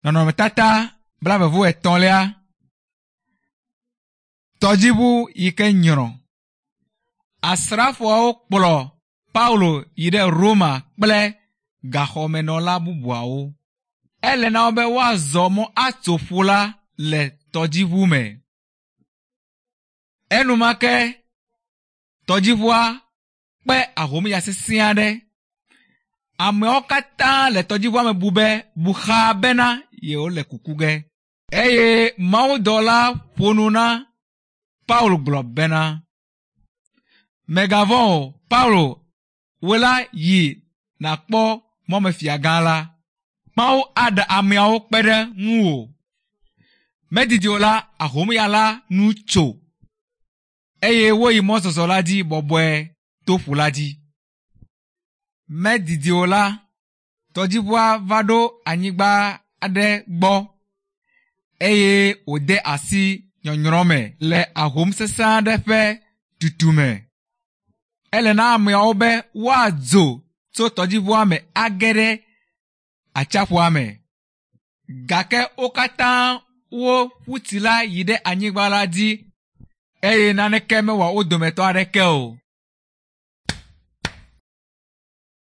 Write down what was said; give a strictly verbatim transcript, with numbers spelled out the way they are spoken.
Nɔnɔmetata blaeve-vɔ-etɔ̃lia. Tɔdziʋu yi ke nyrɔ. Asrafoawo kplɔ Paulo yi ɖe Roma kple gaxɔmenɔla bubuawo. Ele na wo be woazɔ mɔ atso ƒu la le tɔdziʋu me. Enumake tɔdziʋua kpe ahomya sesẽ aɖe. Ameawo katã le tɔdziʋua me bu be bu xaa bena yewole kuku ge. Eye mawudɔla ƒo nu na Paulo gblɔ bena, Mègavɔ̃ o, Paulo, wò la yi nàkpɔ mɔmefiagã la. Mawu aɖe ameawo kpe ɖe ŋuwò. Medidi o la, ahomya la nu tso eye woyi mɔzɔzɔ la dzi bɔbɔe to ƒu la dzi. Medidi o la, tɔdziʋua va ɖo anyigba aɖe gbɔ eye wòde asi nyɔnyrɔ me le ahom sesẽ aɖe ƒe tutume. Ele na ameawo be woadzo tso tɔdziʋua me age ɖe atsiaƒua me. Gake wo katã woƒu tsi la yi ɖe anyigba la dzi eye naneke mewɔ wo dometɔ aɖeke o.